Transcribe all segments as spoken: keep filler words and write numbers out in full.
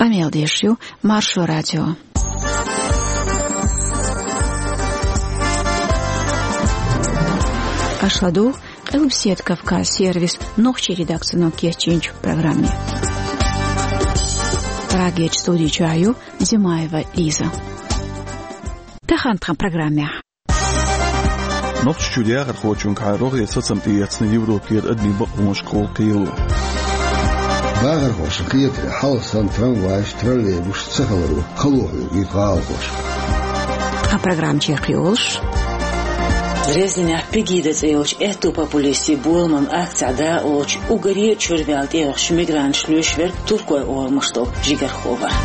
Къамел деш ю Маршо радио. Аша ладугӀу Къилбаседа Кавказ сервисан нохчийн редакцино кечйинчу программе. Прагерчу студи чохь ю Зимаева Лиза. Тахана тхан программехь. Нохчийчуьра яхархочуьнгахьа рогӀера сацам тӀеэцна Европера адамийн бакъонашкахула кхело. Бахархошна кхетарехь, хьалха санна трамвайш, троллейбусаш ца хиларо хало хьоьгуьйту гӀалахоша. Тхан программа чекхйолуш: Дрезденехь Пегида цӀе йолчу аьтту популистийн боламан акцехь дакъалоцуш уггаре а чуьра ваьлла тӀеоьхучу мигранташна луьйш верг Туркойн орамаш долу жигархо вара.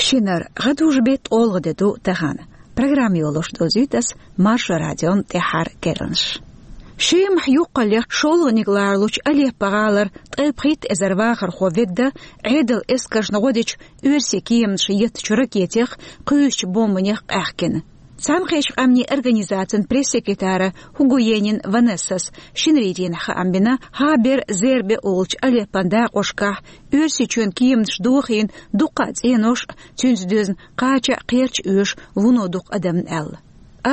Шинара гӀадужу беттан олгӀа де ду тахана. Программа йолуш дозуьйту ас Маршо радион тӀаьххьара керланаш. Шемахь юккъаллех шолгӀаниг ларалучу Алеппо-гӀалара ткъе пхийтта эзар вахархо ведда, Ӏедалан эскаршна гӀо дечу оьрсийн кеманаша еттачу ракетех, кхуьйсучу бомбанех къаьхкина. Цхьаьнакхеттачу Къаьмнийн Организацин пресс-секретара Хугуенин Ванессас шинарин дийнахь хаам бина, хӀа бер Зербе олучу Алеппон дакъошкахь Оьрсийчоьнан кеманаш дохийна дуккха а цӀенош а, цуьнца доьзна кхача а кхерч оьшу вуно дукха адамна аьлла.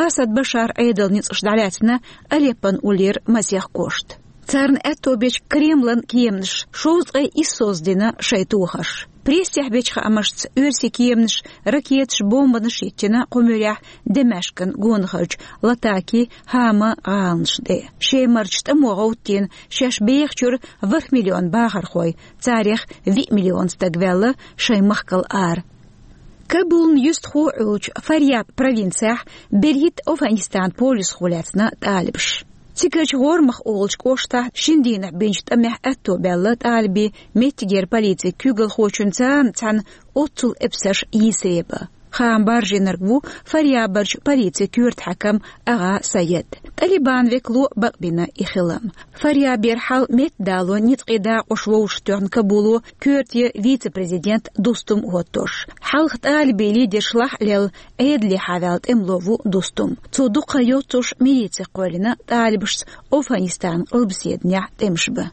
Асад Башаран Ӏедалан ницкъаша дӀалаьцна Алеппон уллера масех кошта. Царна аьтто бечу Кремлан кеманаша шовзткъе исс соьца дина шайн тохарш. Прессехь бечу хаамашца, оьрсийн кеманаша ракеташ, бомбанаш йиттина кху муьрехь Дамаскан гонахарчу Латаки, Хама гӀаланаш тӀе. Шемарчу тӀамо гӀовттийна шаьш бехачуьра ворхӀ миллион бахархой, царех виъ миллион стаг ваьлла шайн махкал ара. Кабулна юьстахо Ӏуьллучу Фарьяб провинцехь берхӀитта Афганистанан полисхо лаьцна тӀалибаш. Цигарчу ГӀормах олучу кӀоштахь шина дийнахь бинчу тӀамехь аьтто баьлла тӀалибийн меттигера полицин куьйгалхочун царна цхьаьна оццул эпсарш йийсаре бан. Хаам баржийнарг ву Фарьябарчу полицин коьрта хьаькам агӀа Саед. Талибан векало бакъбина и хилам. Фарьябера хьал меттадало ницкъийн дакъош вовшахтоьхна Кабуло коьрте вице-президент Дустум хӀоттош. Хьалха тӀалибийн лидерш лахь а лелла, Ӏедалехьа ваьлла тӀемало ву Дустум. Цо дукха йоццуш милицех кхоьллина тӀалибашца Афганистанан къилбаседанехь тӀемаш бан.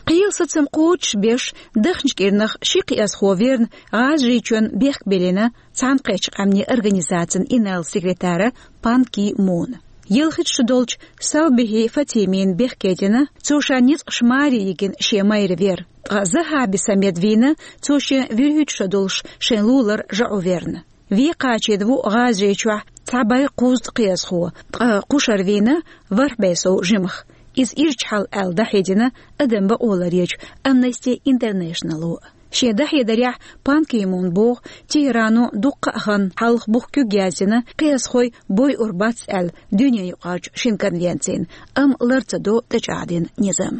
Кхелан сацам кхочушбеш, дахначу кӀирнах ши кхиазхо верна, ГӀазажийчоьнна бехк биллина Цхьаьнакхеттачу Къаьмнийн Организацин инарла-секретара Пан Ки Муна. Ялхитта шо долчу Салбихи Фатимина бехке дина, цо ша ницкъаша маре йигина шен майра вер. Ткъа Захаби Самед вийна, цо шен вуьрхӀитта шо долуш шайн лулара жаӀу верна. Вен кхачийна ву ГӀазажийчохь цхьа бӀе кхузткъа кхиазхо, ткъа кхушара вийна ворхӀ бӀе сов жимах. Иза ирча хьал аьлла дӀахьедина адам бакъо ларъечу Amnesty International-о. Шен дӀахьедарехь Пан Ки Мун боху, ТехӀрано дуккха а хан хьалха бух куьг яздина, кхиазхой бойур бац аьлла, дуьненаюкъарчу шина конвенцина, амма лар ца до тӀечӀагӀдина низам.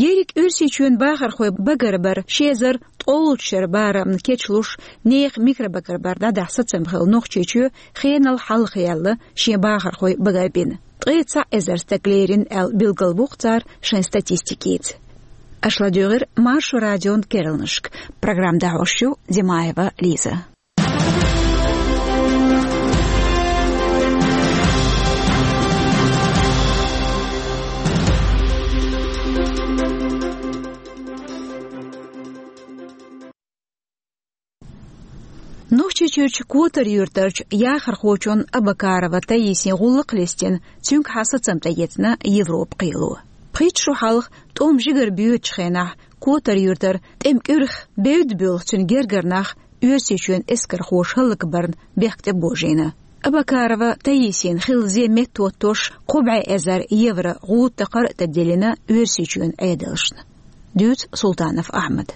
Ерриг Оьрсийчоьнан бахархой багарбар ши эзар ткъолгӀачу шеран барамна кечлуш, нехан микробагарбар дӀадахьа сацам хилла Нохчийчоь хенал хьалхаяьлла шен бахархой багарбина. Ткъе цхьаъ эзар стаг лерина аьлла билгалву-кх цара шайн статистикица. Аша ладуьйгӀира Маршо радион керланашка. Программа дӀахьош ю Зимаева Лиза. Нохчийчуьрчу Котар-Юьртарчу яхархочун Абакарова Таисин гӀуллакх листина, цуьнгахьа сацам тӀеэцна Европа кхело. Пхийтта шо хьалха, тӀом жигара боьдучу хенахь, Котар-Юьртара тӀеман кӀуьрах бевдда буьйлу цуьнан гергара нах Оьрсийчоьнан эскархоша хӀаллакбарна бехк тӀебожийна. Абакарова Таисина хилла зен меттахӀоттош кхо бӀе эзар евро гӀуда такхар а тӀедиллина Оьрсийчоьнан Ӏедалшна. Дуьйцу Султанов Ахьмада.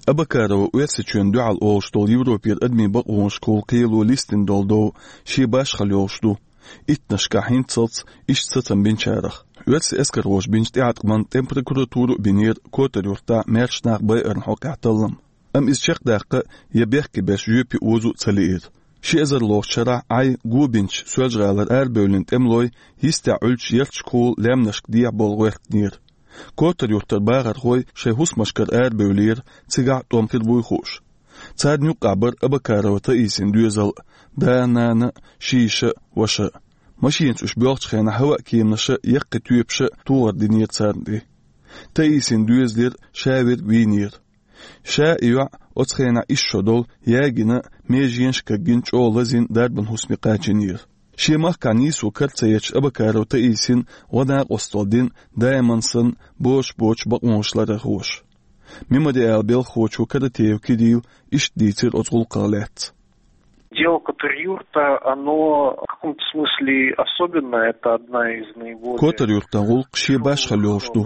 Абакарова Оьрсийчоьнна дуьхьал олуш долу Европера адамийн бакъонашкахула кхело листина долу дов шен башхалла йолуш ду, иттаннашкахь хӀинццалц иштта сацам бинчарах. Оьрсийн эскархоша бинчу тӀеӀаткъамна тӀеман прокуратуро а бинера Котар-Юьртахь маьрша нах байарна хьокъехь таллам. Амма иза чекхдаккха я бехке беш жоьпе озо а ца лиира. Ши эзар лоцучу шарахь Ӏай го бинчу Соьлжа-ГӀалара арабевллина тӀемалой йистехь Ӏуьллучу ярташкахула лаьмнашка дехьа болу гӀоьртинера. Котар-Юьртара бахархой шайн хӀусамашкара арабевллера, цигахь тӀом хир буй хууш. Царна юкъахь бара Абакарова Таисин доьзал: да, нана, ши йиша, ваша. Машинаца уьш боьлхучу хенахь хӀаваан кеманаша яккхий тоьпаша тохар динера царна тӀе. Таисин доьзалера ша верг вийнера. Ша а, и йоӀ а оцу хенахь исс шо долу, ягийна, меженаш кагйина, чӀогӀа лазийна дарбан хӀусаме кхачийнера. Шен махкахь нийсо кара ца етташ, Абакарова Таисина гӀо-накъосталла дина даиман санна бозуш боцу бакъонаш ларъярхоша. Мемориалан белхахочо Каратеев Кирилла иштта дийцира оцу гӀуллакхах лаьцна: Дело Котор-Юрта, оно в каком-то смысле особенное, это одна из наиболее... Котар-Юртан гӀуллакх шен башхалла йолуш ду.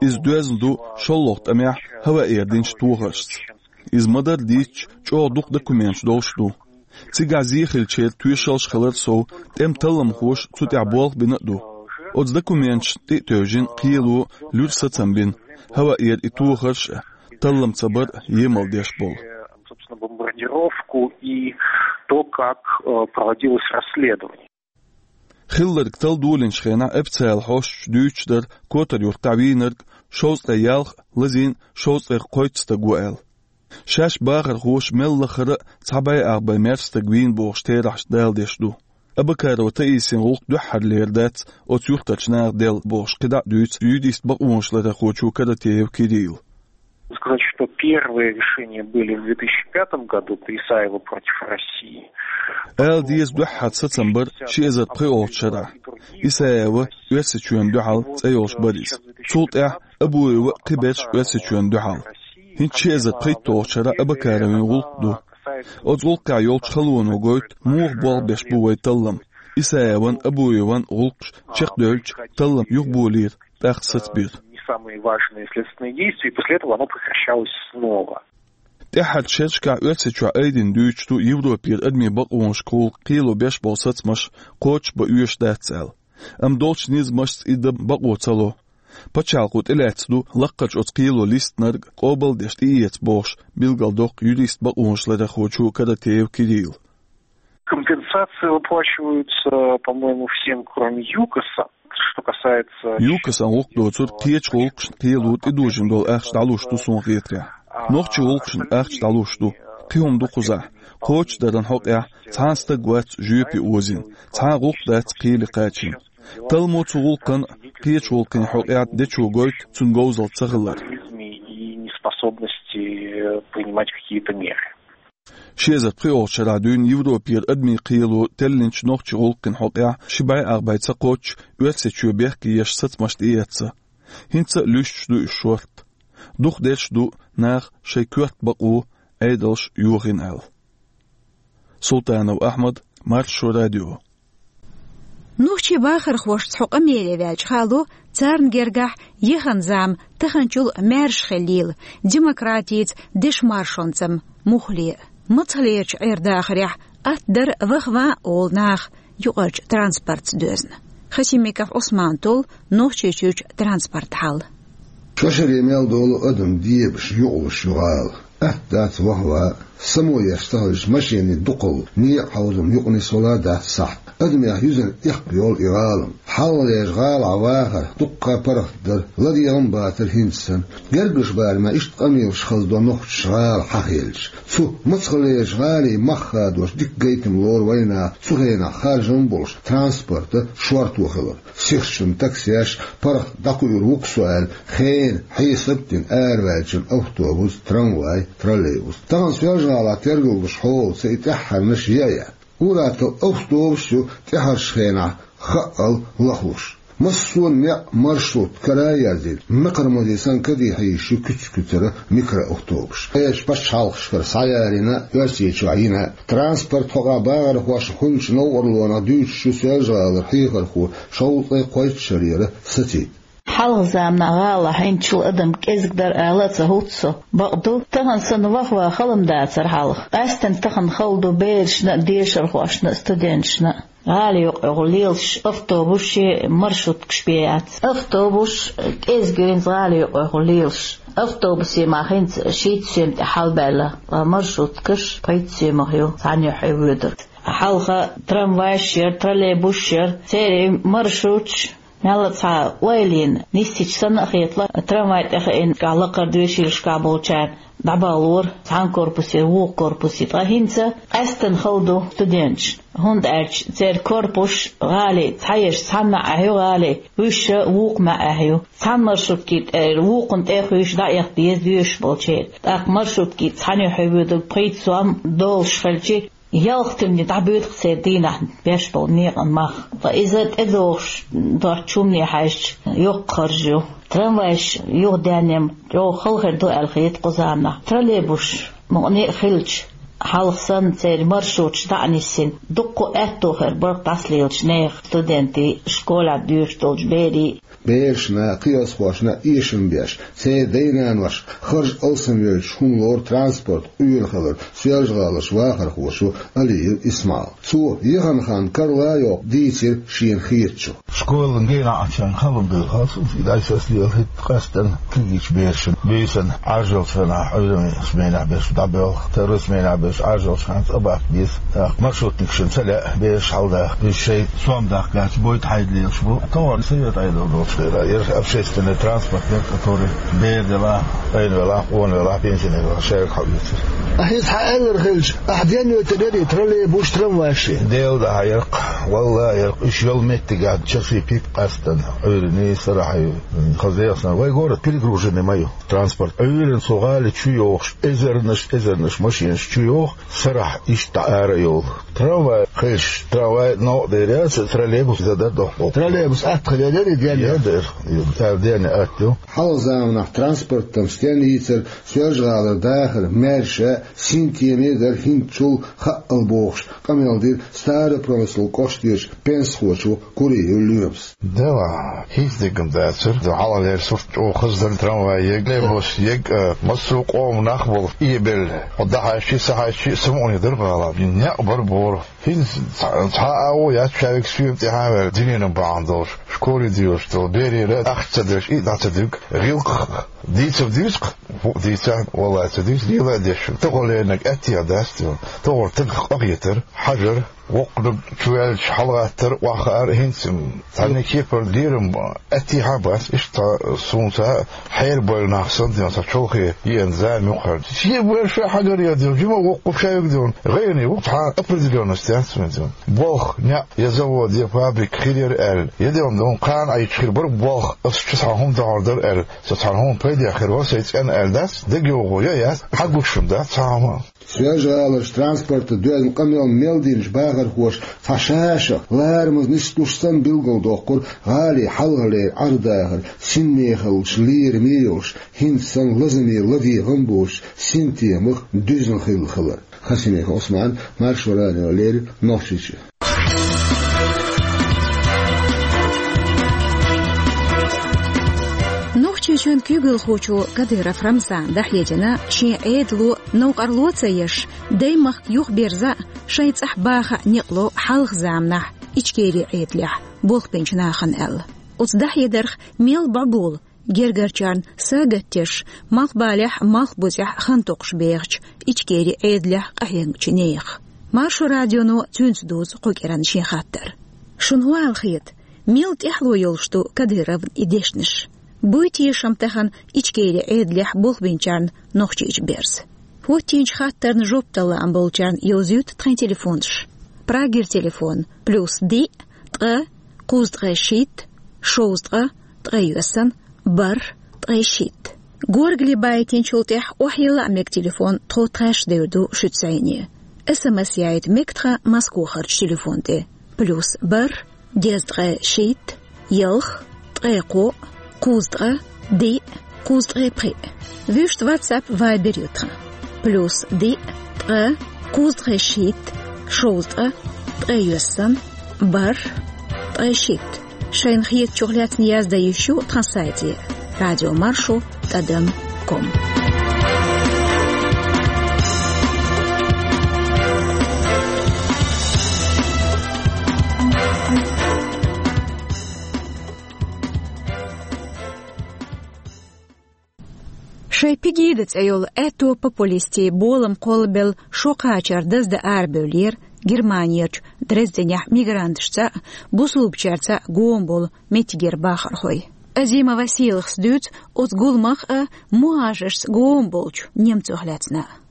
Иза доьзна ду шолгӀа тӀамехь хӀаваан эр динчу тохаршца. Иза ма-дарра дийцича, чӀогӀа дукха документаш долуш ду. Цигахь зен хиллачеран тоьшаллаш хилар сов, тӀеман талламхоша цу тӀехь болх бина а ду. Оцу документашна тӀе а тевжина, кхело луьра сацам бина, хӀаваан эр и тохарш а, таллам ца бар а емал деш болу. Собственно, бомбардировку и то, как, э, проводилось расследование. Хилларг талла долийначу хенахь официалан хьосташа дуьйцуш дара Котар-Юртахь вийнарг шовзткъе ялх а, лазийна шовзткъе кхойтта стаг ву аьлла. Шаьш бахархоша мел лахара а цхьа бӀе ах бӀе маьрша стаг вийна бохуш терахьаш даладеш ду. Абакарова Таисин гӀуллакх дуьххьарлера дац оцу юьртарчу наха делла бохуш, кхидӀа а дуьйцу юрист-бакъонаш ларъярхочо Каратеев Кирилла. Сказать, что первые решения были в две тысячи пятом году по Исаеву против России. Ала деза, дуьххьара сацам бара ши эзар пхоьалгӀачу шарахь. Исаева Оьрсийчоьнна дуьхьал цӀе йолуш бара иза. Цул тӀаьхьа Абуева а, кхиберш Оьрсийчоьнна дуьхьал. ХӀинца ши эзар пхийтталгӀачу шарахь Абакаровин гӀуллакх ду. Оцу гӀуллакхехь йолчу халоно гойту муха болх беш бу вайн таллам. Исаеван, Абуеван гӀуллакхаш чекхдевлча, таллам юхаболийра, тӀаккха сацабира. Не самые важные следственные действия, и после этого оно прекращалось снова. ТӀаьххьарчу шерашкахь Оьрсийчохь айдина дуьйцуш ду Европера адамийн бакъонашкахула кхело беш болу сацамаш кхочушбан оьшуш дац аьлла. Амма долчу низамашца и дан бакъо ца ло. Пачхьалкхо тӀелаьцна ду лаккхарчу оцу кхело листинарг къобалдеш тӀеэца бохуш, билгалдоккху юрист-бакъонаш ларъярхочо Каратеев Кирилла. Компенсации выплачиваются, по-моему, всем, кроме ЮКОСа. Что касается... ЮКОСан гӀуллакх доцург кхечу гӀуллакхашна кхело тӀедожийна долу ахча дӀалуш ду, суна хетарехь. Нохчийн гӀуллакхашна ахча дӀалуш ду. Кхин хӀума ду кхузахь. Кхочушдаран хьокъехь цхьана стаг вац жоьпе озийна, цхьана гӀуллакх дац кхеле кхачийна. Талламо цу гӀуллакхан а, кхечу гӀуллакхийн хьокъехь дечо гойту цуьнан говзалла ца хилар. И неспособности принимать какие-то меры. Ши эзар пхоьалгӀачу шарахь дуьйна Европера адамийн кхело теллинчу нохчийн гӀуллакхийн хьокъехь ши бӀе ах бӀе ца кхоччуш Оьрсийчоь бехке еш сацамаш тӀеэцна. ХӀинца а луьстуш ду уьш шорта. Дукхахдерш а ду наха шайн коьрта бакъо, Ӏедалш йохийна аьлла. Султанов Ахьмад, Маршо радио. Нохчийн бахархошца хьо къамеле ваьлча хало, царна гергахь яхана зама таханчул маьрша хилийла, демократица, дешан маршонца муххале а. Мацхалерчу Ӏер-дахарехь атта дара ваха-ван а олу наха юкъарчу транспортца доьзна. Хасимиков Ӏусмана толлу Нохчийчуьрчу транспортан хьал. Шо шаре мел долу адам дебаш, юкъалуш ю гӀала. Атта дац ваха-ван а, само еш ца хилча, машенийн дукхалла некъа хьовзам юкъа нисвала дац сахьт. Адамех юьзна эккха йолу и гӀалам. Хьалхалерчу гӀалахь вахар дуккха а паргӀат дара, ладегӀа а бацара хӀинца санна. Гергарчу барамехь иштта къамелаш хазадо нохчаша гӀала хьахийлча. Цу мацхалерчу гӀалин мах хадош дика гайтам лору вайнаха цу хенахь харжам а болуш транспорта шорто хилар. Сихачун таксеш, паргӀат дӀакхуьур ву-кх со аьлла, хенан хьесап а дина араваьллачун автобус, трамвай, троллейбус. Тахана Соьлжа-ГӀалахь тергалдеш хьолаца и тӀаьххьарнаш яа яц. Ур-атталла автобус ю тӀаьххьарчу хенахь хаъал лахлуш. Массо а некъ маршрутка кара а яздина, мекхармаза санна каде хьийзаш ю куьц-куьцара микроавтобус. Кхечу пачхьалкхашкара схьаярийна а, Оьрсийчохь йина а. Транспортан хьокъехь бахархошна хуьлучу новкъарлонах дуьйцуш ю Соьлжа-ГӀалара хьехархо шовзткъе кхойтта шарера Сацид. Хьалха заманахь гӀалахь хьинчул адам кӀезиг дара ала а ца хӀутту со. Бакъду, тахана санна ваха-ван хала ма дацара хьалха. Къаьсттина тахана хала ду берашна а, дешархошна а, студенташна а. ГӀала юкъахь лелаш автобусаш, маршруткаш бен яц. Автобус кӀезиг ю хӀинца гӀала юкъахь лелаш. Автобусийн мах хӀинца шийтта соьман тӀе хьалабаьлла, ткъа маршруткаш пхийтта соьмах ю цхьана юьхь воьдург. Хьалха трамвайш яра, троллейбусаш яра, церан маршруташ мелла а цхьа ойла йина нисдича санна а хетало, трамвай тӀе хиъна, кхузахь лакхара доьшийлашкахь болчарна дӀабалора цхьана корпусе, вукху корпусе. Ткъа хӀинца къаьстина хала ду студенташ, хӀунда аьлча церан корпусаш гӀалий, цхьаерш цхьанна а хьу гӀалий, вуьйш вукху маьӀӀехь ю. Цхьана маршрутки тӀера вукхунна тӀе а хуьйш дӀаэха деза доьшуш болчеран. ТӀаккха маршрутки цхьаьна хьуьвуьйтург пхийтта сом долуш хилча, ялх тимни дӀабуьйцу церан дийнахь беш болу некъан мах. Ткъа иза тӀедогӀуш доцучу хӀумане хьаьжча, йоккха харж ю. Трамвайш юха даьнна-м чӀогӀа хала хир ду аьлла хета кху заманахь. Троллейбусаш мукъане а хилча, хьалха санна церан маршруташ дӀа а нисйина, дуккха а аьтто хир бара дӀасалелачу нехан, студентийн, школехь доьшуш долчу берийн. Берашна, кхиазхошна эшам беш, церан дай-нанош харж алсамвелча хӀума лору транспорт къуьйра хилар Соьлжа-ГӀаларчу вахархочо Алиев Исмаила. Цо яхана хан карла а йоккху дийцира шена хетачух. Школан генахь а чан халон дуьйхьа, и дӀасаслиъла хӀитта къаьстина кегийчу берашна буьйсанна Ӏаржалц хенахь, Ӏуьйранна сменехь берш дӀабоьлху, второй сменехь берш Ӏаржалц хенахь цӀа баккха беза. ТӀаккха маршрутникашна ца лаьа бераш хьалдаха. Уьш шайн сом дахкачу бойта хьайда лелаш бу. Товар совет Ӏедал долуш хилла. Яра общественный транспорт яра, который бер делахь, къена велахь, къона велахь, пенсионер велахь, шайга хьаоьцура. Ахь иза хьан аьллар хилча, ахь денвайтинера и троллейбуш, трамвайш? Дела дахьа яркъ, валла яркъ. Уьш йолу меттигехь часий пик къаьстина, Ӏуьйранна, сарахь ю. Хаза дехна, вай город перегруженный ма ю. Транспорт Ӏуьйранна цу гӀали чу йохуш, эзарнаш, эзарнаш машенаш чу йоху, сарахь иштта ара йолу. Трамвай хилча, трамвай новкъа дер яц, троллейбус иза дар дохку. Троллейбус атта хилла дер и денна? Я дер, цара денна атта ю. Хьалха заманахь транспортан стен йийцар, Соьлжа-ГӀалара дахар маьрша, синтеме дар хӀинцачул хаъал бохуш, къамел дира Старопромыслан кӀоштарчу пенсахочо Куриев Лоьмас. Дела, хӀинца дегам дацара. Хьалхалера сурт чӀогӀа хаза дара, трамвай ег, троллейбус ег, а, массо а къоман нах болу, и белла. Хьо дӀахьаьжчи, схьахьаьжчи, самукъане дара гӀала. Некъ бара бора. ХӀинца цхьа, цхьа а агӀо яц шаьвиг соьма тӀаьхьа а ваьлла, диненан бахьана долуш, школе доьлуш долу, берера ахча ца деш, и дӀа ца дуьгу, гӀиллакх дийцар дуьйцу-кх, хӀуъа дийцахь, валлай, ца дуьйцу, лела а деш. Тахо леринарг аьттехьа дац те. Тахора тагах къахетар, хьажар, воккханиг чуваьлча хьалагӀаттар, охьахаар, хӀинца цхьанне кепара лерам аьттехьа а бац, иштта цхьа суна цхьа хьерабевлла нах санна, цхьа чолхе еана зама юккъехь. Шен бер ша хьагаръян дела, жима воккха шаьвиг дела, гӀайгӀане ву, цхьа определённость яц вайн дела. Болх, неӀ, я завод, я фабрика хир яра аьлла, я дела, кхана Ӏайча хир бара болх, ас чу цхьа хӀума догӀур дара аьлла, со цхьана хӀума пайдехь хир вара сайн цӀенна аьлла дац, дагайогӀу я яц, хьагуш дац цхьа хӀума. Соьлжа-ГӀаларчу транспорта доьзна къамел мел динчу бахархоша цхьа ша-шах ларамаза нислуш санна билгалдоккхура гӀалин хьалхалера Ӏардахар синмехаллаш лераме йолуш, хӀинца санна лазаме ладегӀам боцуш синтемах дуьзна хилла хилар. Хасимиков Ӏусман, Маршо радиона леррина, Нохчийчоь. Нохчийчоьнан куьйгалхочо Кадыров Рамзана дӀахьедина шен Ӏедало новкъарло а ца еш, даймахка юхаберза а, шайн цӀахь баха а некъ ло хьалха заманахь Ичкерин Ӏедалехь болх бинчу нахана аьлла. Оцу дӀахьедарх мел бӀобула гергарчарна сагатдеш, малхбалехь а, малхбузехь а хан токхуш бехачу Ичкерин Ӏедалехь къахьегначу нехан. Маршо радионо цуьнца дузу кху кӀиранна шен хаттар. Шуна хӀун аьлла хета, мел тӀаьхьало йолуш ду Кадыровн и дешнаш? Буй тешам тахана Ичкерин Ӏедалехь болх бинчарна Нохчийчу берза? ХӀоттийначу хаттарна жоп дала лаам болчарна йовзуьйту тхайн телефонаш. Прагера телефон: плюс диъ, ткъа, кхузткъе шийтта, шовзткъа, ткъе йоьссан, бархӀ, ткъе шийтта. Горгали байтинчул тӀаьхьа охьайилла а мега телефон, тхо тхаьш девр ду шуьца зӀене. СМС яийта мега тхан Москохарчу телефон тӀе: плюс бархӀ, дезткъе шийтта, ялх, ткъе кхоъ, кхузткъа, диъ, кхузткъе пхиъ. Вуьшта WhatsApp, Viber ю тхан: плюс диъ, ткъа, кхузткъе шийтта, шовзткъа, ткъе йоьссан, бархӀ, ткъе шийтта. Шайна хетачух лаьцна яздан йиш ю тхан сайте: радиомаршо тӀадам ком. Шайн Пегида цӀе йолу аьтто популистийн болам кхоллабелла шо кхачар даздан арабевллера Германерчу Дрезденехь мигранташца а, бусулбачаьрца а гома болу меттигера бахархой. Азима Василахс дуьйцу оцу гуламах а, мухӀажаршца гома болчу немцойх лаьцна а.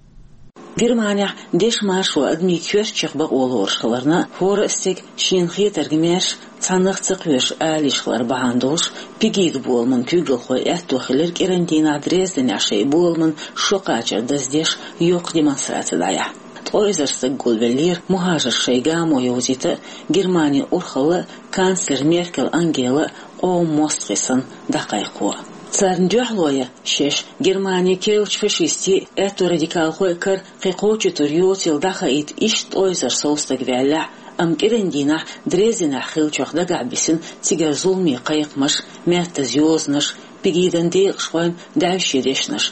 Германехь дешан маршо адамийн коьртачех бакъо лоруш хиларна, хӀора а стеган шена хетарг маьрша, цхьаннах ца кхоьруш ала йиш хилар бахьана долуш, Пегида боламан куьйгалхой аьтто хилира кӀиран дийнахь Дрезденехь шайн боламан шо кхачар даздеш йоккха демонстраци дӀаяхьа. Ткъа эзар стаг гулвеллера мухӀажарш шайн гамо йовзийта а, Германин урхалла а, канцлер Меркель Ангела а къоман мостагӀий санна дӀакхайкхо. Царна дуьхьало ян шаьш Германин керлачу фашистийн, аьтто радикалхойн кара кхин кхоччуьйтур йоцийла дӀахаийта иштта ткъа эзар сов стаг ваьллехь а, амма кӀиран дийнахь Дрезденехь хиллачух дагахь бисина цигара зуламийн кхайкхамаш, маьттаза йозанаш, Пегидан декъашхойн даьвше дешнаш.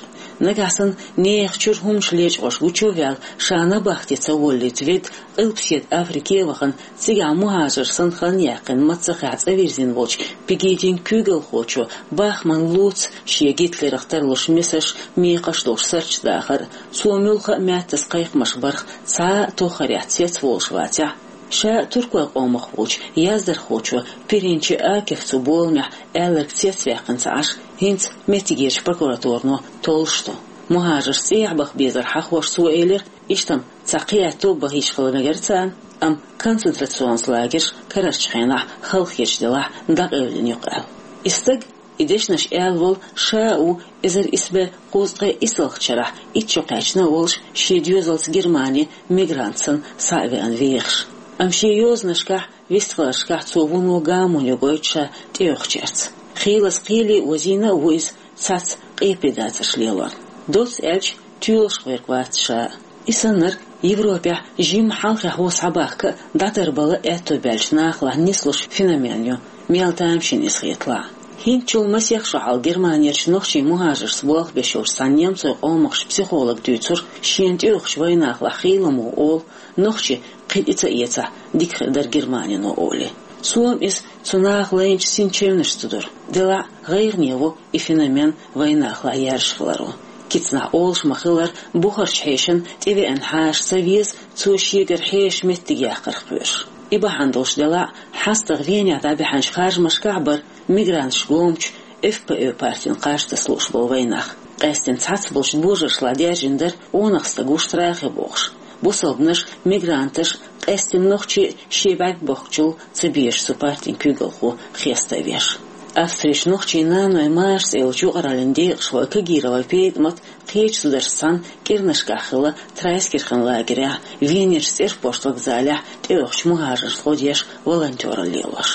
Нагахь санна нехан чуьра хӀуманаш лечкъош гучу а ваьлла, ша набахте ца воллийта ведда, Къилбаседа Африке а вахана, цигахь мухӀажар санна хан яьккхина маццахь цӀа вирзина волчу Пегидин куьйгалхочо бахман лоцу шен Гитлерах тарлуш месаш, мекхаш долуш сурташ дахар а, цо муьлхха а маьттаза кхайкхамаш барх цхьа а тоххарехь цецволуш вацахь, ша туркойн къомах волчу яздархочо Пиринчи Акиф цу боламехь аьлларг цецваьккхина ца Ӏаш, хӀинца меттигерчу прокуратуро толлуш ду. МухӀажарш цӀехьа баха безар хьахош цо элира, иштта-м цхьа кхиаьтто а бахийта хила мегара царна, амма концентрационан лагерш карарчу хенахь халахеташ делахь дӀакъевлина ю-кх аьлла. И стаг, и дешнаш аьлла волу, ша а ву эзар исс бӀе кхузткъе исалгӀачу шарахь итт шо кхаьчна а волуш, шен доьзалца Германе мигрант санна схьа а веана вехаш. Амма шен йозанашкахь, вистхиларшкахь цо вуно гамонна ю гойту ша тӀеоьхучаьрца. Хийлаза кхеле а озийна а ву иза цхьацца къепедацарш лелорна. Доцца аьлча, тоьлуш верг вац ша. И саннарг Европехь жимма хьалххе хьо схьабахка а, дӀатарбала а аьтто баьллачу нахалахь нислуш феномен ю, мел тамашийна иза хеталахь. ХӀинцачул масех шо хьалха Германерчу нохчийн мухӀажаршца болх беш йолчу цхьана немцойн къомахчу психолога дуьйцура, шена тӀеоьхучу вайнахалахь хийла ма ву олу, нохчий кхин тӀе ца эцахь, дика хир дара Германино олий. Цо-м иза цу наха лайначу синчевнашца дура. Делахь а, гӀайгӀане ву и феномен вайнахалахь яьржа хиларо. Кицанахь олуш ма-хиллара, бухарчу хьешана тӀевеана хьаша ца веза, цо шегара хьеша меттиг яккхарх кхоьруш. И бахьана долуш делахь а, хьастагӀа Венехь дӀабаьхьначу харжамашкахь а бара мигранташа гомачу Эф П Э партина кхаж таса лууш болу вайнах. Къаьстина цхьацца болчу божаршлахь даьржина дара къонах стаг ву страхе бохуш. Бусалбанаш, мигранташ, къаьстина нохчий шен бӀаьрг бохкучул ца безаш цу партин куьйгалхо хеставеш. Австрерчу нохчийн нанойн машаца йолчу юкъараллин декъашхой Кагировой ПетӀамат, кхечу зударшца цхьаьна кӀирнашкахь хилла Трайскирхен лагерехь, Венерчу цӀерпошт вокзалехь тӀеоьхучу мухӀажаршна гӀо деш волонтёралла лелош.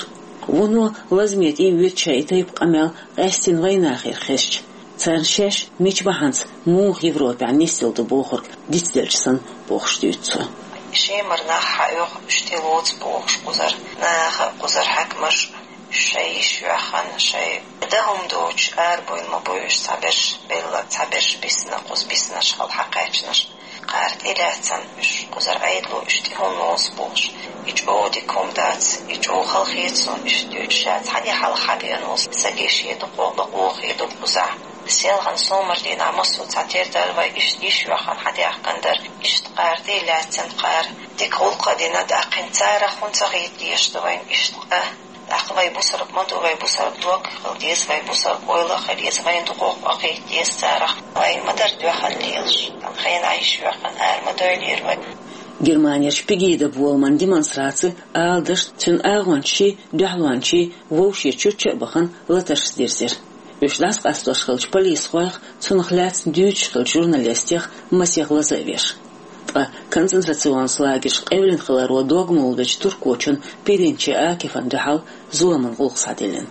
Вуно лазаме тӀе а вуьту шайн и тайпа къамел къаьстина вайнахера хезча, царна шаьш мича бахьанца муха Европехь нисделла ду бохург дицделча санна бохуш дуьйцу цо. Шемара нах хьаоьху, уьш тӀелоцу бохуш кхузара наха, кхузара хьаькамаш, шайн йиш йоьхна, шайн дан хӀума доцуш арабевлла ма бу уьш, цхьаберш белла, цхьаберш бисна, кхуза биснарш хьалха кхаьчнарш. Кхара тӀелаьцна уьш, кхузара Ӏедало уьш тӀе хӀунда лоцу бохуш. И чӀогӀа дика хӀума дац, и чӀогӀа халахета суна уьш дуьйцуш, ша цхьаьна хьалха хьабеана волу стаге шен дукъо бакъо хир ду кхузахь. Селхана сомара дийнахь массо а цхьатерра дара вай, иштта йиш йоьхна хьадаьхкина дара, иштта кхара тӀелаьцна кхара. Дика гӀуллакх а дина, тӀаккха царах хӀунда ца хийтта дезаш ду вайна иштта къа? ТӀаккха вай бусалба ма ду, вай бусалба дог хила деза, вай бусалба ойла а хила еза, вайна дукхох а кхета деза царах. Вай ма дара дуьхьал лелаш, тхан хенахь йиш йоьхна ара ма дойлера вай. Германерчу Пегида боламан демонстраци, аладашна, цуьнан агӀончаший, дуьхьалончаший вовшийн чучча а бахана латаршца дирзира. Уьш дӀасакъастош хиллачу полисхойх, цунах лаьцна дуьйцуш хиллачу журналистех масех лаза а веш. Ткъа концентрационан лагерш къевлина хиларо дог мула бечу туркочун Пиринчи Акифан дуьхьал зуламан гӀуллакх схьадиллина.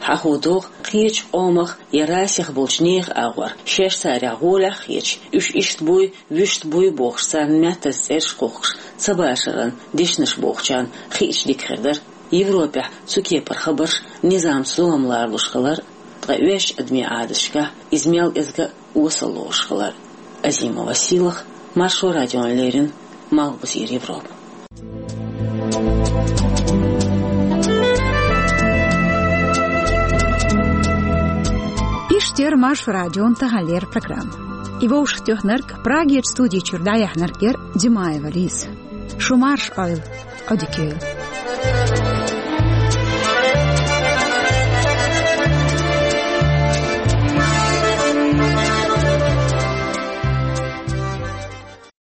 Хьахо догӀу, кхечу къомах я расех болчу нехан агӀор, шаьш царах гӀолехь а хеташ, уьш иштта буй, вуьшта буй бохуш, царна маьттаза цӀераш кхухкуш, ца башаран дешнаш бохучарна хиъча дика хир дара, Европехь цу кепара хабарш, низамца зулам ларалуш хилар, ткъа оьшучу адамийн Ӏадаташкахь иза мел кӀезга а осал лоруш хилар. Азима Василах, Маршо радиона леррина, Малхбузера Европа. Иштта яра Маршо радион таханлера программа. И вовшахтоьхнарг, Прагерчу студи чуьра дӀаяьхьнарг яра Димаева Лиза. Шу марша Ӏойла, Ӏодика йойла.